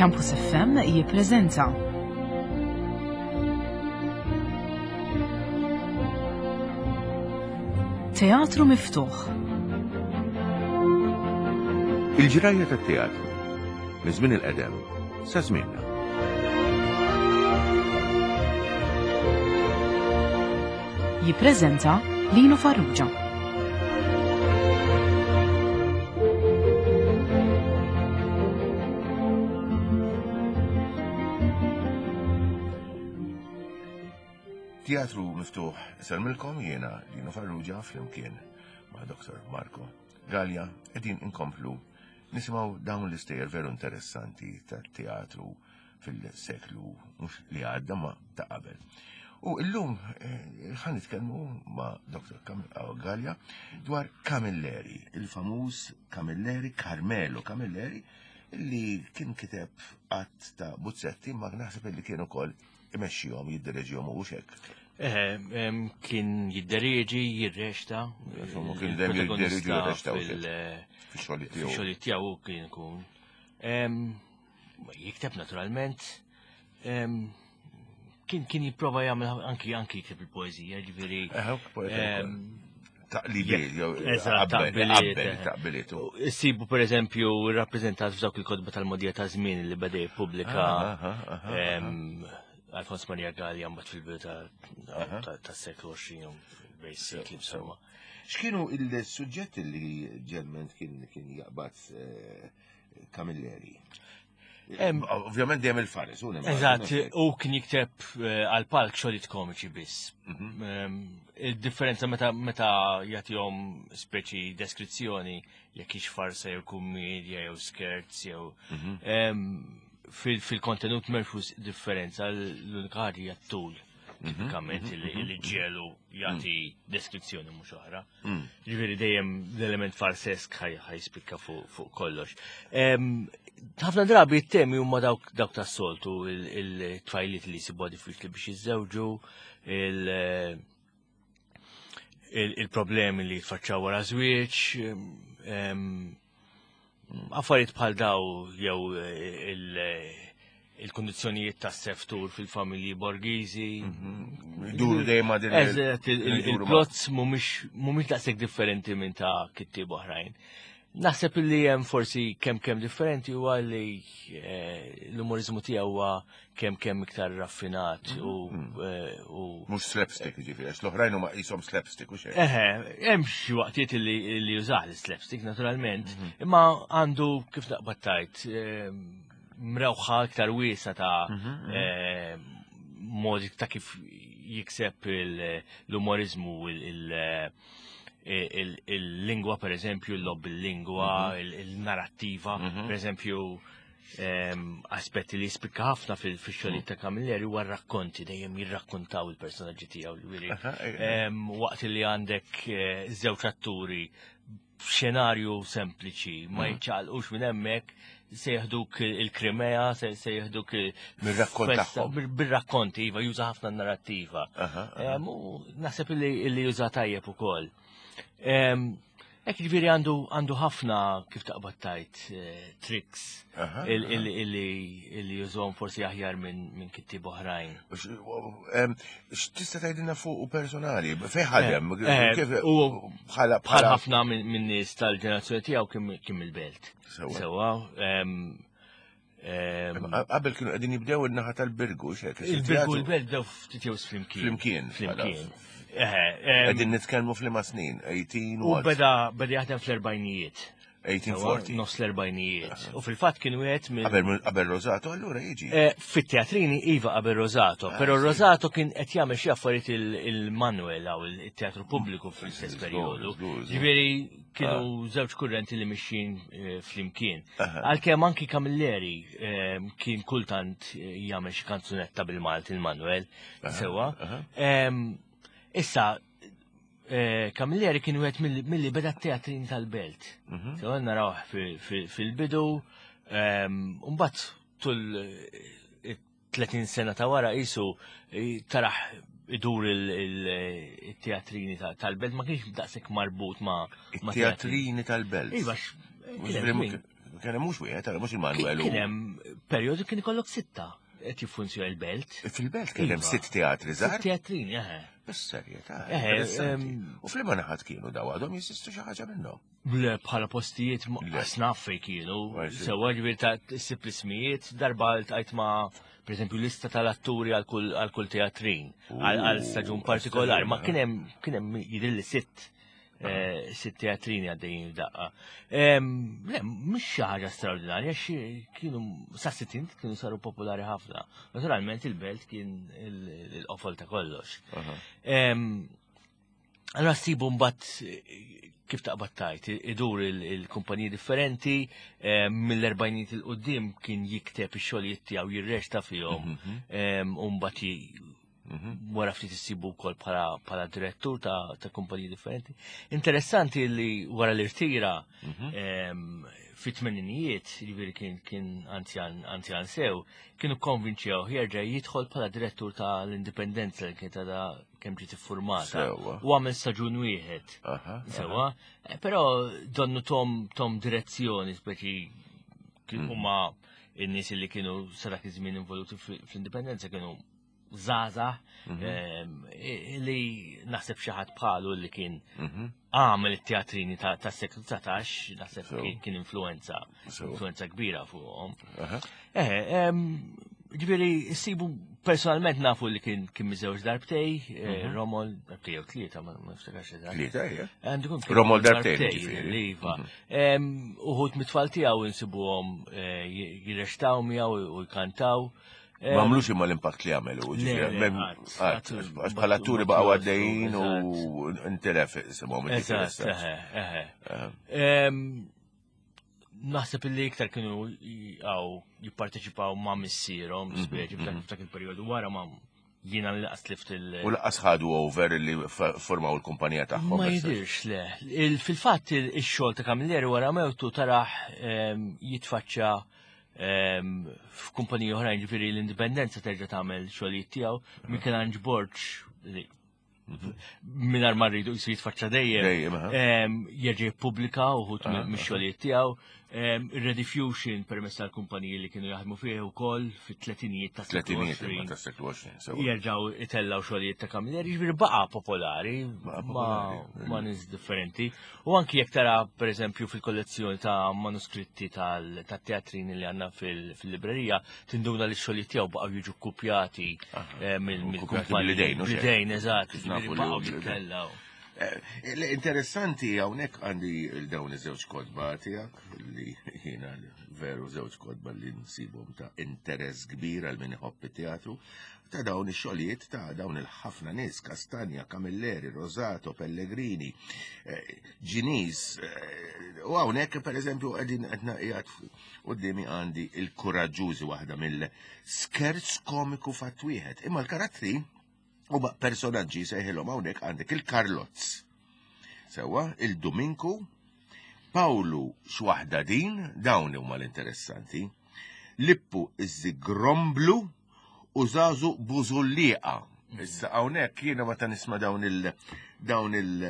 Campus FM jippreżenta Teatru Miftuħ. Il-ġrajja tat-teatru minn żmien il-qedem sa żmienna. Jippreżenta Lino Farrugia. Teatru miftuħ isellmilkom jiena Lino Farrugia flimkien ma' Dr. Marco Gallia qegħdin inkomplu nisimgħu dawn l-istejjer veru interessanti tat-teatru fil-seklu mhux li għadda ma ta' qabel. U illum eh, ħan nitkellmu ma' Dr. Gallia dwar Camilleri, il-famuż Camilleri, Carmelo Camilleri, li kien kiteb qatt ta' buzzetti ma naħseb li kien ukoll imexxihom, jiddereġihom u hekk. Eh, kien jiddereġi, jirrexta. Insomma, kien dejjem jiddereġi jirrexta fil-xogħol tiegħu. Fix-xogħol tiegħu kien ikun. Jikteb naturalment. Kien kien jipprova jagħmel anki anki jikteb il-poeżija, ġifieri. Taqlibiet, jew taqbiliet. Sibu per eżempju rappreżentat f'dawk il-kotba tal-modija ta' żmien li beda jippubblika Alfons Maria Gallia mbagħad fil-bidu tas-seklu 20 basically insomma. X'kienu il-suġġetti li ġelment kien jaqbad eh, Camilleri. Ovvjament dejjem il-fares. Eżatt, u kien jikteb eh, għal palk xogħlijiet komiċi biss. Mhm. Il-differenza meta meta jagħtihom speċi deskrizzjoni jekk hix farsa jew kummedja jew skerz jew mhm. fil-kontenut m'hemmx differenza l-unika ħaġa hija t-tul mhm, tipikament li ġielu jagħti deskrizzjoni mhux oħra. Mm. Ġifieri dejjem l-element farsesk ħajspikka fuq kollox. Ħafna drabi t-temi huma dawk dawk tas-soltu il-tfajliet li jsibuha diffiċli biex jiżżewġu, il-problemi li jitfaċċaw wara żwieġ, Affarijiet bħal daw jew eh, il-kondizzjonijiet tas seftur fil-familji borgiżi. Mhm. Duru dejjem ma' din. Eżatt, il-plots mhumiex daqshekk differenti minn ta' kittieb oħrajn. Naħseb li hemm forsi kemm kemm differenti huwa li eh, l-umorizmu tiegħu huwa kemm kemm iktar raffinat u mm. eh, u mhux slapstick jiġifieri għax l-oħrajn huma qishom slapstick u xejn. Eħe, hemm xi waqtiet li li jużah l-slapstick naturalment, mhm. imma għandu kif naqbad tajt eh, mrewħa iktar wiesa ta' mhm, mhm. Eh, modi ta' kif jikseb l-umorizmu il-lingwa per eżempju, l-lob il-lingwa, il-narrattiva, per eżempju, aspetti li jispikka ħafna fil-xogħlijiet ta' Camilleri huwa rakkonti dejjem jirrakkontaw il-personaġġi tiegħu ġifieri. Waqt li għandek eh, żewġ atturi xenarju sempliċi ma mm. jiċċaqlqux minn hemmhekk se jeħduk il-Krimea, se jeħduk bir-rakkont tagħhom. Bir-rakkonti, iva juża ħafna narrattiva. Naħseb li juża tajjeb ukoll. Hekk jiġifieri għandu għandu ħafna kif taqbad tajt eh, tricks illi jużhom forsi aħjar minn kittieb oħrajn. X'tista' tgħidilna fuq u personali? Fejn ħadem? Eh, eh, bħala bħal ħafna minn nies tal-ġenerazzjoni tiegħu kien mill-belt. Sewwa. Qabel kienu qegħdin jibdew in-naħa tal-Birgu, xek. Il-Birgu l-Belt bdew ftit jew flimkien. Flimkien. Flimkien. Qegħdin nitkellmu f'liema snin, 18 U beda beda jaħdem fl-erbajnijiet. 1840. Nofs l-erbajnijiet. U fil-fatt kien wieħed minn. Qabel Rosato allura jiġi. Eh, fit-teatrini iva qabel Rosato, ah, però Rosato kien qed jagħmel xi affarijiet il-Manuel aw il-teatru pubbliku fl-istess perjodu. Ġifieri kienu ah. żewġ kurrenti li mixjin eh, flimkien. Għalkemm anki Camilleri eh, kien kultant eh, jagħmel xi kanzunetta bil-Malti il-Manuel, sewwa. Issa, Camilleri kien wieħed milli beda t-teatrin tal-belt. Mhm. Sewwa narawh fil-bidu, mbagħad tul 30 sena ta' wara qisu taraħ idur il-teatrini tal-belt ma kienx daqshekk marbut ma' teatrini tal-belt. Iva, Kien hemm mhux wieħed, mhux il-Manuel. Kien hemm perjodu kien ikollok sitta qed jiffunzjona l-belt. Fil-belt kien hemm sitt teatri żgħar. Sitt teatrini, eħe. Bis-serjetà. U fl-imma naħat kienu daw għadhom jesistu xi ħaġa minnhom. Le bħala postijiet snaf fej kienu. Sewa ġifieri ta' issib l-ismijiet, darba ltqajt ma' per eżempju lista tal-atturi għal kull teatrin, għal staġun partikolari, ma kien hemm kien hemm jidhirli sitt eh, sitt teatrini għaddejjin f'daqqa. Le, mhux xi ħaġa straordinarja, xi kienu sa sittin kienu saru popolari ħafna. Naturalment il-belt kien il-qofol ta' kollox. Allora sibu mbagħad eh, kif taqbad tajt, idur il-kumpaniji differenti, mill-erbajniet il-qoddim kien jikteb ix-xogħlijiet tiegħu jirreċta fihom, mhm. u mbagħad Mhm. Wara ftit issibu wkoll bħala direttur ta', ta kumpaniji differenti. Interessanti li wara l-irtira mhm. fit-tmeninijiet, jiġifieri kien kien anzjan anzjan sew, kienu konvinċew jerġa' jidħol bħala direttur ta' l-Indipendenza li kienet għadha kemm ġiet iffurmata. U għamel staġun wieħed. Sewa, eh, però donnu tom tom direzzjoni speċi kien mm. huma in-nies li kienu sa dak iż-żmien involuti fl-indipendenza kienu żgħażagħ mhm. ehm, li naħseb xi ħadd bħalu li kien mhm. għamel it-teatrini ta' seklu 19 naħseb kien influenza influenza kbira fuqhom. Eh, ehm, ġifieri sibu personalment nafu li kien kien miżewġ darbtej, eh, mhm. Romol darbtej jew tlieta ma niftakarx eżatt. Tlieta hija. Romol darbtej ġifieri. Iva. Ehm, uħud mit-tfal tiegħu insibuhom eh, jirrextaw miegħu u jkantaw. Ma għamlux imma l-impatt li għamelu, għax bħala atturi baqgħu għaddejjin u ntelef isimhom. Naħseb illi iktar kienu għaw jipparteċipaw ma' missierhom, mhm, speċi mhm. f'dak il-perjodu wara ma' jiena li laqas tlift il- U laqas ħadu over li formaw il-kumpanija tagħhom. Ma jidirx le. Fil-fatt ix-xogħol ta' Camilleri wara mewtu taraħ jitfaċċa F'kumpaniji oħrajn ġifieri l-indipendenza terġa' tagħmel xogħlijiet tiegħu, Michelangelo Borg li mingħajr ma rridu jisir jitfaċċa dejjem. Jerġa' jippubblika uħud mix-xogħlijiet tiegħu. Rediffusion permezz tal-kumpaniji li kienu jaħdmu fih ukoll fit-tletinijiet ta' seklu 20. Jerġgħu itellgħu xogħlijiet ta' Camilleri, jiġifieri baqa' popolari ma' nies differenti. U anki jekk tara pereżempju fil-kollezzjoni ta' manuskritti tat-teatrini li għandna fil-librerija, tinduna li x-xogħlijiet tiegħu baqgħu jiġu kkupjati eh, mill-kumpaniji. Bl-idejn, eżatt, baqgħu jittellgħu. Eh, l-interessanti hawnhekk għandi dawn iż-żewġ kotba tiegħek li jiena veru żewġ kotba li nsibhom ta' interess kbir għal min iħobb it-teatru ta' dawn ix-xogħlijiet ta' dawn il-ħafna nies, Castagna, Camilleri, Rosato, Pellegrini, eh, Ġinis, eh, u hawnhekk pereżempju qegħdin qed qiegħed quddiemi għandi il-kuraġġużi waħda mill-skerz komiku fatt wieħed. Imma l-karattri huma personaġġi sejħilhom hawnhekk għandek il-Karlozz. Sewwa, il-Duminku, Pawlu x'waħda din, dawn huma l-interessanti. Lippu iż-Gromblu, u żagħżu bużullieqa. Issa hawnhekk jiena meta nisma' dawn il dawn il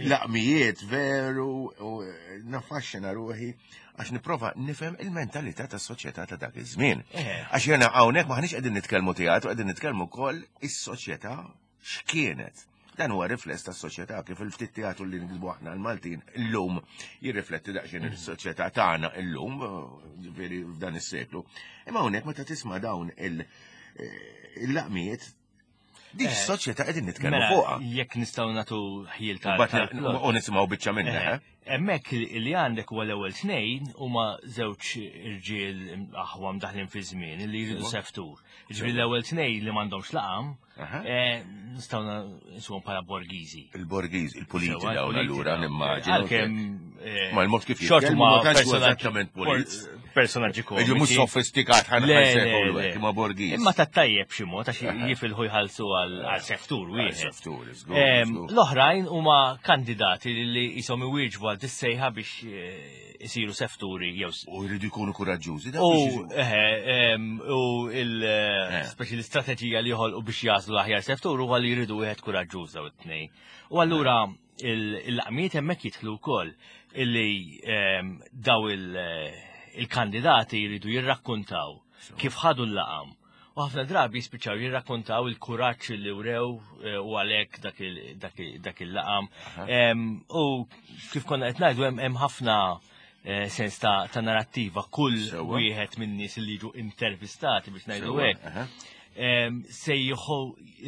laqmijiet veru u eh, nafaxxina ruħi għax nipprova nifhem il-mentalità tas-soċjetà ta' dak iż-żmien. Eh. Għax jiena hawnhekk maħniex qegħdin nitkellmu teatru, qegħdin nitkellmu wkoll is-soċjetà x'kienet. Dan huwa rifless tas-soċjetà kif il-ftit teatru li nikdbu aħna l-Maltin illum jirrifletti daqsxejn mm. is-soċjetà tagħna illum, ġifieri f'dan is-seklu. Imma hawnhekk meta tisma' dawn eh, il-laqmijiet dik eh, soċjetà qegħdin nitkellmu mela, fuqha. Jekk nistgħu nagħtu ħjiel ta' U nisimgħu biċċa minnha. Eh? Hemmhekk li għandek huwa l-ewwel tnejn huma żewġ irġiel aħwa mdaħlin fi żmien li jridu seftur. Ġifieri l-ewwel tnejn li m'għandhomx laqam, eh, nistgħu nsuhom bħala borgiżi. Il-borgiżi, il-puliti dawn allura nimmaġinu. Għalkemm eh, ma l-mod kif jitkellmu ma eżattament pulit. Personaġġi komiċi. Mhux sofistikat ħan ma borgiż. Imma ta' tajjeb xi mod għax jifilħu jħallsu għal seftur wieħed. Seftur, L-oħrajn huma kandidati li jisom iwieġbu għal dissejħa biex eh, isiru sefturi jew. U jridu jkunu kuraġġużi. U eh, u il eh, speċi l-istrateġija li joħolqu biex jażlu l-aħjar seftur huwa li jridu wieħed kuraġġuż daw it-tnejn. U allura il-laqmiet hemmhekk jidħlu wkoll illi daw il-kandidati jridu jirrakkontaw kif ħadu l-laqam. U ħafna drabi jispiċċaw jirrakkontaw il-kuraġġ li wrew eh, u għalhekk dak il-laqam. U kif konna qed ngħidu hemm ħafna eh, sens ta' narrattiva kull wieħed minn nies li jiġu intervistati biex ngħidu hekk. Se jieħu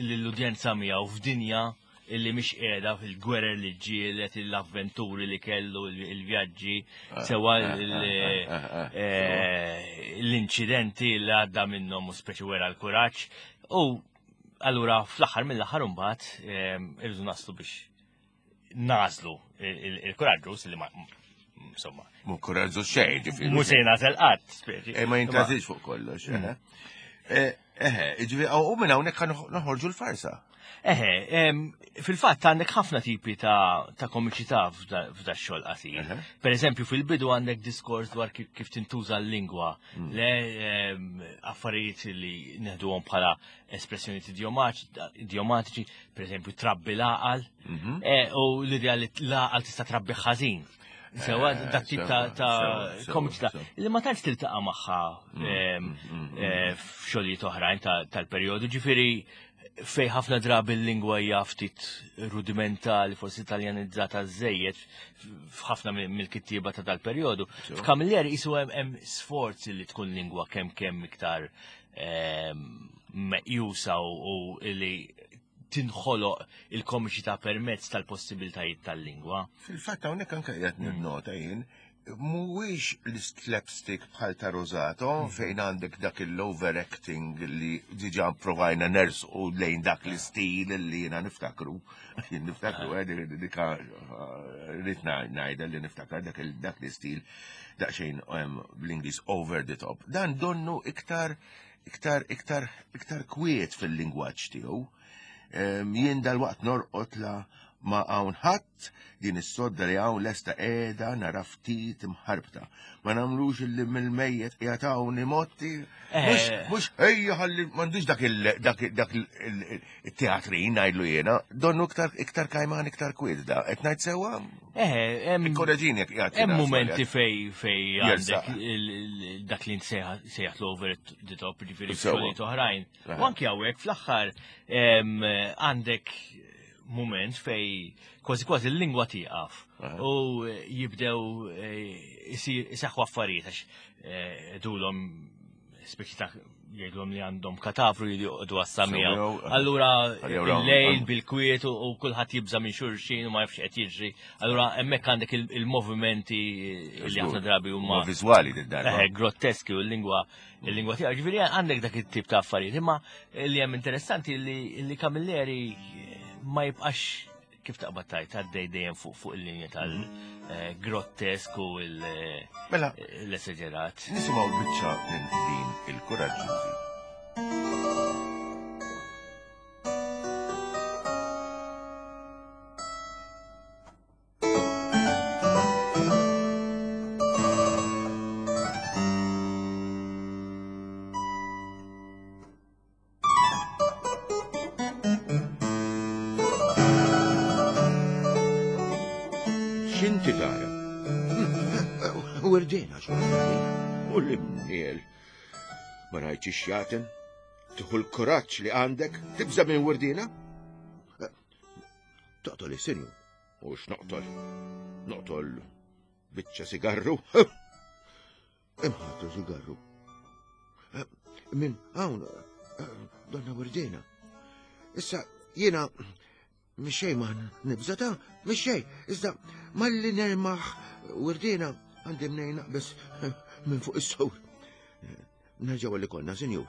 l-udjenza miegħu f'dinja illi mhix qiegħda fil-gwerer li ġielet, l-avventuri li kellu, il-vjaġġi, ah, sewa ah, ah, eh, l-inċidenti li għadda minnhom u speċi wera l-kuraġġ. U allura fl-aħħar mill-aħħar imbagħad eh, irridu naslu biex nażlu il-kuraġġu li ma insomma. Mu kuraġġu xejn, ġifieri. Mu se jnażel qatt, speċi. Eh, ma jintażilx fuq kollox. Mm. Eh, eh, ġifieri u minn hawnhekk noħorġu l-farsa. Eħe, fil-fatt għandek ħafna tipi ta' komiċità f'da xogħol qasir. Per eżempju, fil-bidu għandek diskors dwar kif tintuża l-lingwa, mm. le affarijiet li neħduhom bħala espressjonijiet idiomatiċi, per eżempju, trabbi l-għaqal, mhm. eh, u l-idea li l-għaqal tista' trabbi ħażin. Sewa eh, dak tip ta' komiċità li ma tantx tiltaqa' magħha mm, mm, mm, eh, f'xogħlijiet oħrajn tal-perjodu, ġifieri fej ħafna drabi l-lingwa hija ftit rudimentali, forsi italjanizzata żejjed f'ħafna mill-kittieba ta' dal-perjodu. F'Kamilleri qisu hemm sforzi li tkun lingwa kemm kemm iktar meqjusa u li tinħoloq il-komiċità permezz tal-possibiltajiet tal-lingwa. Fil-fatt hawnhekk anke qiegħed ninnota jien mhuwiex l-slapstick bħal ta' Rosato mm. fejn għandek dak il-overacting li diġà provajna nersqu lejn dak l-istil li jiena niftakru. Jien niftakru eh, dika eh, rrid ngħidha li niftakar dak l-istil daqsxejn bl-Ingliż over the top. Dan donnu iktar iktar iktar iktar kwiet fil-lingwaġġ tiegħu. Jien dal-waqt norqod la ma hawn ħadd din is-sodda li hawn lesta qiegħda nara ftit imħarbta. Ma nagħmlux illi mill-mejjet qiegħed hawn imotti. Mhux eh. mhux ejja ħalli m'għandux dak il dak il-teatrin ngħidlu jiena, donnu iktar iktar kajman iktar kwiet da. Qed ngħid sewwa? Eh, hemm Ikkoreġini jekk qiegħed Hemm mumenti fej fej għandek dak li sejjaħ l-over the top, ġifieri xogħlijiet oħrajn. U anki hawnhekk fl-aħħar għandek mument fej kważi kważi l-lingwa tieqaf u jibdew eh, iseħħu affarijiet għax eh, dulhom speċi ta' jgħidulhom li għandhom katavru li joqogħdu għassa miegħu. Allura il-lejl bil-kwiet u kulħadd jibża' minn xulxin u ma jafx qed jiġri. Allura hemmhekk għandek il-movimenti li ħafna drabi huma viżwali darba. Eh, grotteski u l-lingwa il-lingwa tiegħu. Ġifieri għandek dak it-tip ta' affarijiet. Imma li hemm interessanti li Camilleri ma jibqax kif taqbad tajt għaddej dejjem fuq fuq il-linja tal-grottesk u mela, l-esaġerat. Nisimgħu biċċa minn din il-kuraġġużi. X'inti tara? Werdina xorta. U l-imniel. Ma rajtx ix-xjaten? Tieħu l-kuraġġ li għandek tibża' minn werdina? Toqtol is-sinju. U x'noqtol? Noqtol biċċa sigarru? Imħatru sigarru. Eh, min hawn eh, donna Werdina. Issa jiena mixej ma nibża ta' mixej, iżda malli nermaħ Werdina għandi mnejn naqbes eh, minn fuq is-sowr. Nerġgħu li konna, sinjur.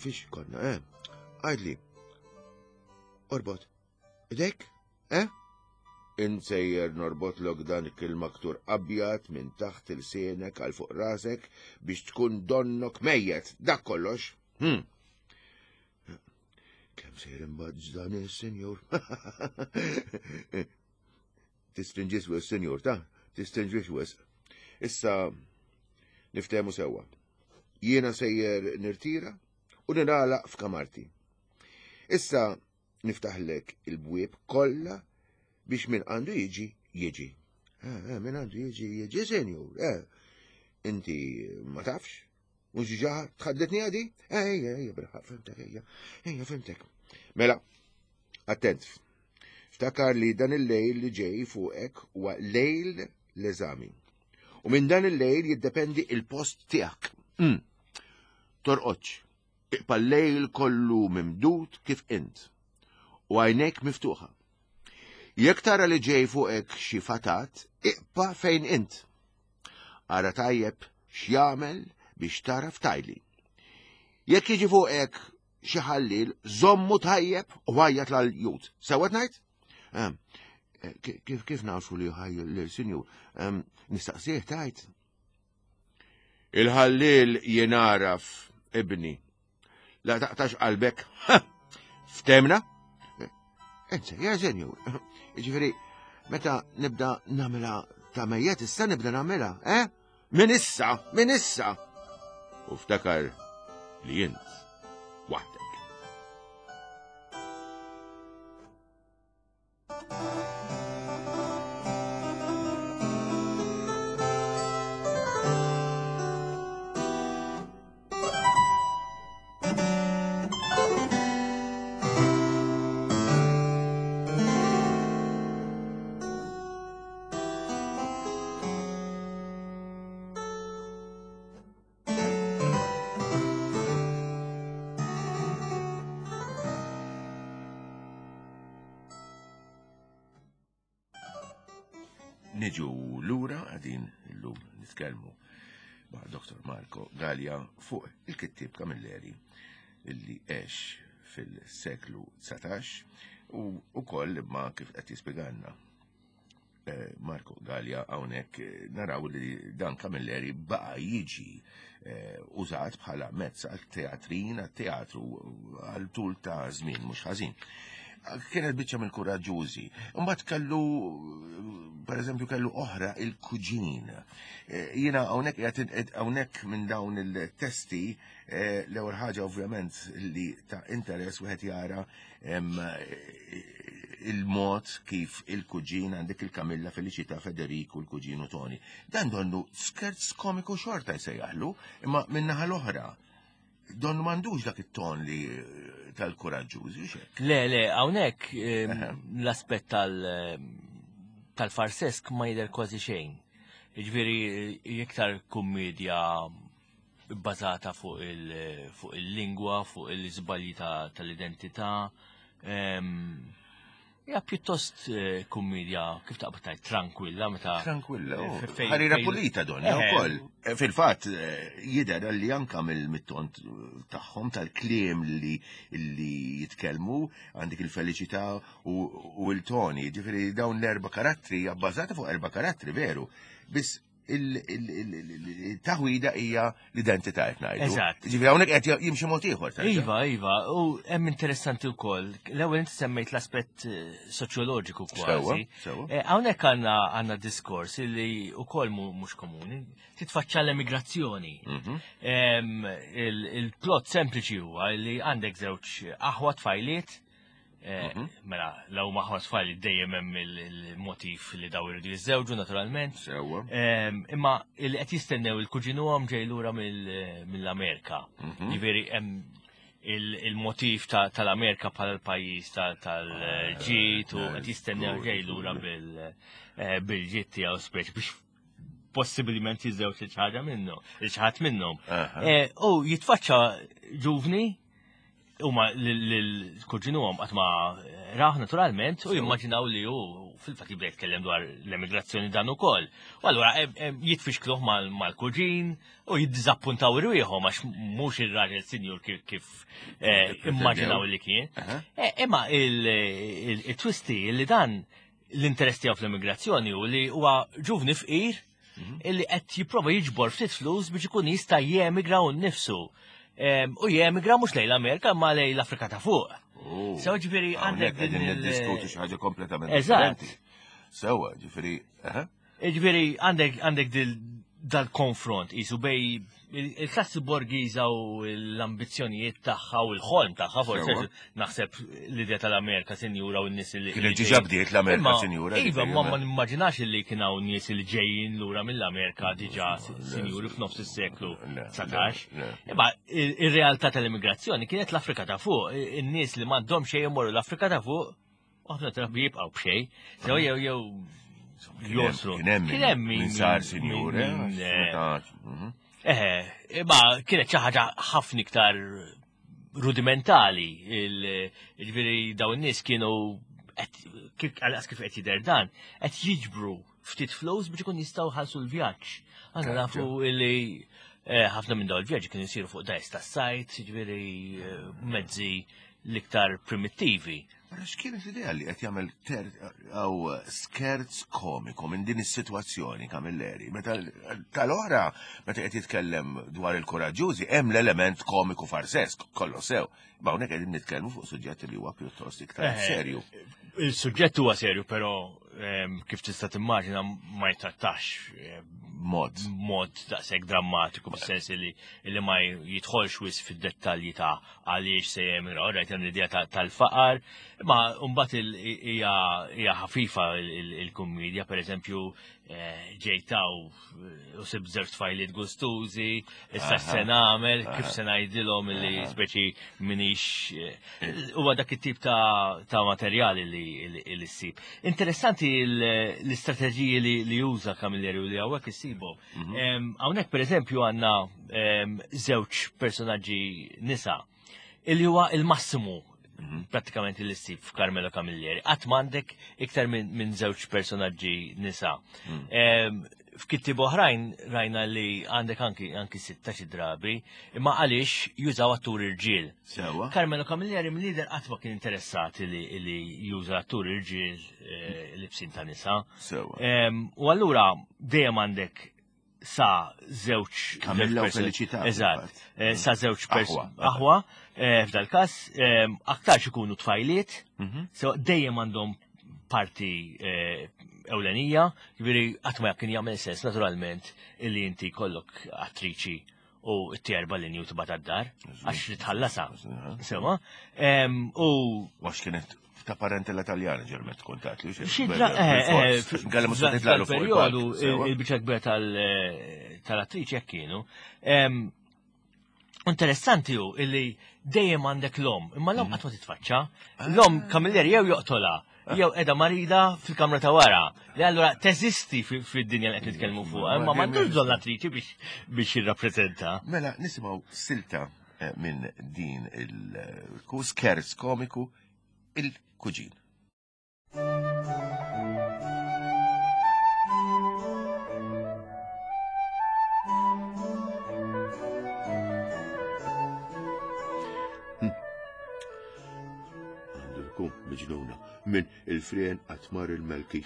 Fiex konna, eh? Għajdli. Orbot. Idek? Eh? Insejjer norbotlok dan il-maktur abjad minn taħt il-sienek għal fuq rasek biex tkun donnok mejjet, dak kollox. Hm. Kemm sejjer imbagħad dan is-senjur? Tistrinġis wis, senjur, ta' tistrinġis wis. Issa niftehmu sewwa. Jiena sejjer nirtira u ningħalaq f'kamarti. Issa. Niftaħlek il-bwieb kollha biex min għandu jiġi, jiġi. Eh, eh, min għandu jiġi, jiġi, senjur, eh. Inti ma tafx? Mux ġa tħaddetni għadi? Eh, ejja, ejja, bilħaq, fimtek, ejja, ejja, fimtek. Mela, attent. Ftakar li dan il-lejl li ġej fuqek huwa lejl l-eżami. U minn dan il-lejl jiddependi il-post tiegħek. Mm. Torqodx. Iqpa' l-lejl kollu mimdud kif int. U għajnejk miftuħa. Jekk tara li ġej fuqek xi fatat, iqpa' fejn int. Ara tajjeb x'jagħmel biex tara ftajli. Jekk jiġi fuqek xi ħallil, żommu tajjeb u għajjat l-jut. Sewwa ngħid? Ehm, eh, kif kif nafu li ħaj l-sinjur? Ehm, nistaqsih tajt. Il-ħallil jenaraf ibni. La taqtax qalbek. Ftemna? Enza, ja senjur. Ġifieri, meta nibda namela ta' mejjet, issa nibda namela, eh? Min issa, min issa. U ftakar li jint waħdek. Niġu lura għadin illum nitkellmu ma' Dr. Marco Gallia fuq il-kittib Camilleri illi għex fil-seklu 19 u ukoll ma kif qed jispjegalna Eh, Marco Gallia hawnhekk eh, naraw li dan Camilleri baqa' jiġi eh, użat bħala mezz għal teatrin, għal teatru għal tul ta' żmien mhux ħażin. Kienet biċċa mill-kuraġġużi. Imbagħad kellu pereżempju kellu oħra il-kuġin. Jiena hawnhekk qiegħed hawnhekk minn dawn il-testi l-ewwel ħaġa ovvjament li ta' interess wieħed jara il-mod kif il-kuġin għandek il-Kamilla Felicita Federiku l-kuġin u Toni. Dan donnu skerz komiku xorta jsejjaħlu, imma minnaħa l-oħra. Donnu mandux dak it-ton li tal-kuraġġużi, xek. Le, le, hawnhekk l-aspett tal-farsesk ma jidher kważi xejn. Jiġifieri iktar kummedja bbażata fuq il-lingwa, fuq il-żbalji tal-identità. Ja, pjuttost eh, kummedja, kif taqbad tgħid, tranquilla meta. Tranquilla, oh. eh, ħarira pulita donna eh. wkoll. Fil-fatt jidher li anka mill-mittont tagħhom tal-kliem li li jitkellmu għandek il-feliċità u l-toni, ġifieri dawn l-erba' karattri bbażata fuq erba' karattri veru. Biss il-taħwida hija l-identità qed ngħidu. Eżatt. Ġifieri hawnhekk qed jimxi mod ieħor. Iva, iva, u hemm interessanti wkoll. L-ewwel inti semmejt l-aspett eh, soċjoloġiku kważi. Eh, hawnhekk għandna għandna diskors li wkoll mhux komuni. Titfaċċa l-emigrazzjoni. Mhm. Il-plot sempliċi huwa li għandek żewġ aħwa tfajliet Eh, mhm. Mela, law maħwa tfal dejjem hemm il-motiv li daw iridu jiżżewġu naturalment. Sewwa. Ehm, imma li qed jistennew il-kuġinuhom ġej lura mill-Amerika. Mhm. Ġifieri hemm il-motiv tal-Amerika bħala l-pajjiż tal-ġid u qed jistennew ġej lura eh, bil-ġid tiegħu speċ biex possibilment jiżżewġ xi ħaġa minnu, xi ħadd minnhom. Eh, u jitfaċċa ġuvni huma l-kuġinuhom qatt ma raħ naturalment u jimmaġinaw li hu fil-fatt jibda jitkellem dwar l-emigrazzjoni dan ukoll. U allura jitfixkluh mal-kuġin u jiddiżappuntaw irwieħhom għax mhux ir-raġel sinjur kif eh, immaġinaw li kien. Eh, imma il-twisti li dan l-interess tiegħu fl-immigrazzjoni u li huwa ġuvni fqir mhm. illi qed jipprova jiġbor ftit flus biex ikun jista' jemigra u nnifsu. U jemigra mhux lejn l-Amerika ma lejn l-Afrika ta' fuq. Oh. Sew ġifieri għandek din niddiskutu xi ħaġa kompletament differenti. Sewwa, ġifieri, Ġifieri għandek għandek dal-konfront isu bej il-klassi borgiża u l-ambizzjonijiet tagħha u l-ħolm tagħha forsi naħseb l-idea tal-Amerika sinjura u n-nies li. Kienet ġiġa bdiet l-Amerika sinjura. Iva, ma ma nimmaġinax li kien hawn nies li ġejjin lura mill-Amerika diġà sinjuri f'nofs is-seklu 19. Imma ir-realtà tal-immigrazzjoni kienet l-Afrika ta' fuq, in-nies li m'għandhom xejn imorru l-Afrika ta' fuq U ħafna drabi jibqgħu b'xejn, sew jew jew josru. Kien hemm min sar sinjur, eh? eh, mhm. eh, imma kienet xi ħaġa ħafna iktar rudimentali, ġifieri dawn in-nies kienu għal kif qed jidher dan, qed jiġbru ftit flus biex ikun jistgħu ħalsu l-vjaġġ. Għandna nafu li eh, ħafna minn dawn il-vjaġġi kienu jsiru fuq dajs tas-sajt, ġifieri eh, mezzi l-iktar primittivi. Mela x'kienet l-idea li qed jagħmel għaw skerz komiku minn din is-sitwazzjoni Camilleri? Meta tal-oħra meta qed jitkellem dwar il-kuraġġużi hemm l-element komiku farsesk kollu sew. Ma hawnhekk qegħdin nitkellmu fuq suġġett li huwa pjuttost iktar eh, serju. Il-suġġett huwa serju, però ehm, kif tista' timmaġina ma jitrattax eh, mod mod daqshekk drammatiku fis-sens li li ma jidħolx wis fid-dettalji ta' għaliex se jemigra, rajt hemm l-idea tal-faqar, imma mbagħad hija ħafifa il-kummedja, pereżempju eh, ġejtaw u sib żewġ tfajliet gustużi, issa se nagħmel, kif se ngħidilhom li speċi minix eh, huwa dak it-tip ta' materjali li ssib. Interessanti l-istrateġiji li juża Camilleri u li hawnhekk issibhom. Mhm. Hawnhekk pereżempju għandna żewġ personaġġi nisa illi huwa il-massimu mhm. prattikament li ssib f'Carmelo Camilleri. Qatt m'għandek iktar minn żewġ personaġġi nisa. Mm. F'kittib oħrajn rajna li għandek anki anki sitta xi drabi, imma għaliex jużaw attur irġiel. Sewa. Carmelo Camilleri mill-lider qatt ma kien interessat li, li juża attur irġiel eh, li bsin ta' nisa. Sewa. U allura dejjem għandek sa żewġ Kamilla u Felicità. Eżatt, eh, sa żewġ aħwa, eh, f'dal każ eh, aktarx ikunu tfajliet, mhm. so dejjem għandhom parti ewlenija, ġifieri qatt ma kien jagħmel sens naturalment illi inti kollok attriċi u t-tjerba l u tibgħat għad-dar għax li tħallasa. Sewa. U għax kienet ta' parentela taljana ġermet tkun ta' li Xidra, eh, eh, Għalli musa titlalu fuq periodu il-biċa kbira eh, tal-attriċi jekk kienu. Interessanti hu illi dejjem għandek l-om, imma l-om mhm. qatt ma titfaċċa. L-om ah. Kamilleri jew joqtola, jew qiegħda marida fil-kamra ta' wara. Li allura teżisti fid-dinja li qed nitkellmu fuqha, imma m'għandux bżonn l-attriċi biex jirrappreżenta. Mela nisimgħu silta minn din il-skerz komiku il-kuġin. Għandu jkun miġnuna minn il-frien għatmar il-melki.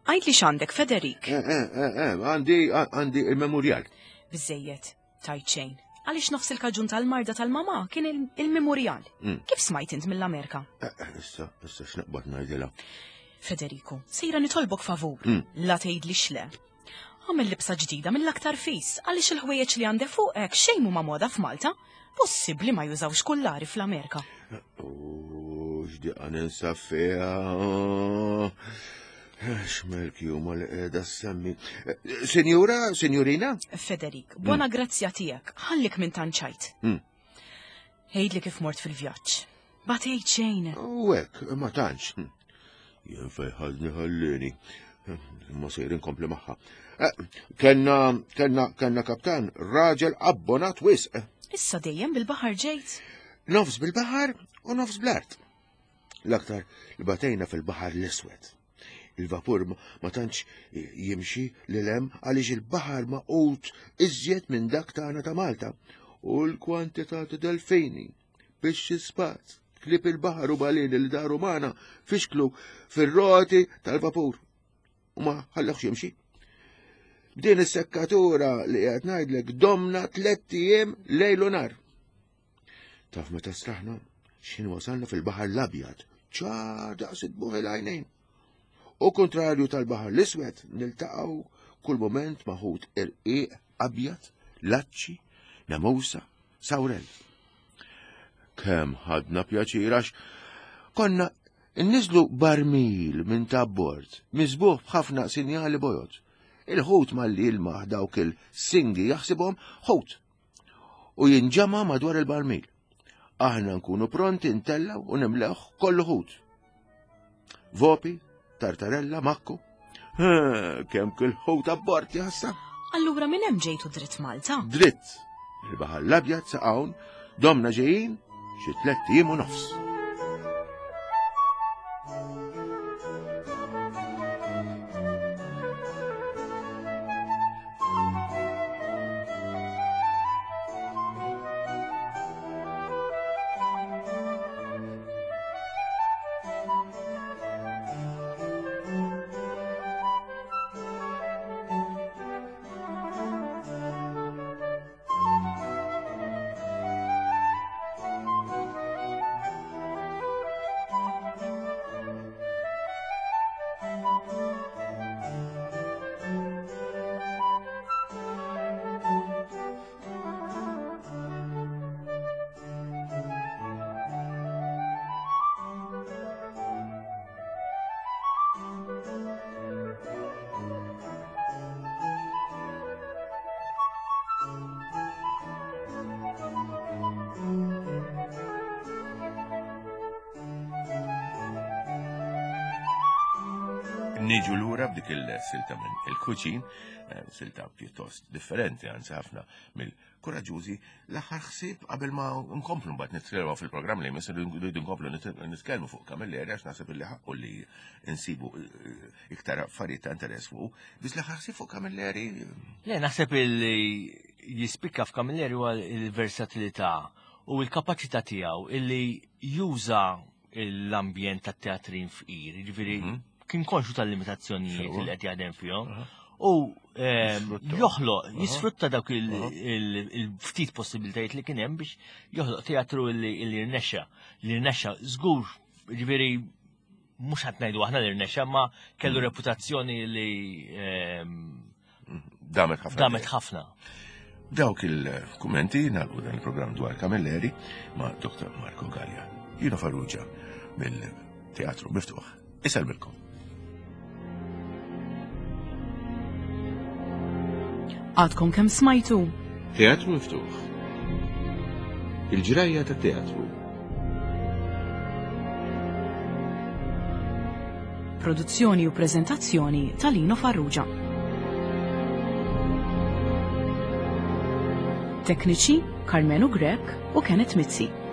Għajt li xandek, Federik. Eh, eh, eh, għandi għandi il-memorial. Bizzejiet. Tajt xejn. Għaliex nofs il-kaġun tal-marda tal-mama kien il-memorial. Mm. Kif smajt int mill-Amerika? Eh, eh, issa, issa x'naqbad ngħidilha. Federico, sejra nitolbok favur, mm. la tgħidli xle. Għamil libsa ġdida mill-aktar fis, għaliex il-ħwejjeġ li għandek fuqek xejn huma moda f'Malta. Possibbli ma jużawx kullari fl-Amerika. U x'diqa ninsa fiha. X'melki huma li qiegħda semmi. Sinjura, sinjurina? Federik, buona mm. grazzja tiegħek, ħallik minn tanċajt. Mm. Għidli kif mort fil-vjaġġ. Batejt xejn. U hekk, ma tantx. Jien fej ħadni ħallini. Ma sejr inkompli magħha. Eh, kenna, kenna, kenna kaptan, raġel abbonat wisq. Issa dejjem bil-baħar ġejt? Nofs bil-baħar u nofs bl-art. L-aktar li batejna fil-baħar l-iswed. Il-vapur ma tantx jimxi lil hemm għaliex il-baħar maqut iżjed minn dak tagħna ta' Malta u l-kwantità ta' delfini biex spaz, klib il-baħar u balini li daru magħna fixklu fir-roti tal-vapur u ma ħallewx jimxi. B'din is-sekkatura li qed ngħidlek domna tlett ijiem lejl u nar. Taf meta straħna x'ħin wasalna fil-Baħar l-Abjad, ċar daqs id-buħ il-għajnejn. U kontrarju tal-Baħar l-Iswed niltaqgħu kull mument ma' ħut irqiq abjad, laċċi, nemusa, sawrell. Kemm ħadna pjaċir għax konna nniżlu barmil minn ta' bord, miżbuħ b'ħafna sinjali bojod. Il-ħut malli jilmaħ dawk il-singi jaħsibhom ħut u jinġama' madwar il-barmil. Aħna nkunu pronti ntellgħu u nimlewh kollu ħut. Vopi, tartarella, makku. Kemm kull ħut abbord jassa. Allura minn hemm ġejtu dritt Malta? Dritt. Il-Baħar l-Abjad sa hawn domna ġejjin xi tlett ijiem u nofs. Niġu lura b'dik il-silta minn il-kuċin, eh, silta pjuttost differenti anzi ħafna mill-kuraġużi, l-aħħar ħsieb qabel ma nkomplu mbagħad nitkellmu fil-programm li jmiss rridu nkomplu nitkellmu fuq Camilleri għax naħseb illi ħaqqu li nsibu eh, iktar affarijiet ta' interess fuq. Biss l-aħħar ħsieb fuq Camilleri. Le naħseb illi jispikka f'Camilleri huwa l-versatilità u l-kapaċità tiegħu illi juża l-ambjent tat-teatrin fqir, jiġifieri mhm. kien konxu tal-limitazzjonijiet li qed jaħdem fihom. U ehm, joħloq, jisfrutta dawk il-ftit possibilitajiet li kien hemm biex joħloq teatru li rnexxa, li rnexxa żgur, jiġifieri mhux qed ngħidu aħna li rnexxa, ma kellu mm. reputazzjoni li ehm, damet ħafna. Damet ħafna. Dawk il-kummenti nagħlqu dan il-programm dwar Camilleri ma' Dr. Marco Gallia. Jino Farrugia mill-Teatru Miftuħ. Isellmilkom. Għadkom kemm smajtu? Teatru Miftuħ. Il-ġrajja ta' teatru. Produzzjoni u preżentazzjoni ta' Lino Farrugia. Tekniċi Carmenu Grech u Kenneth Mizzi.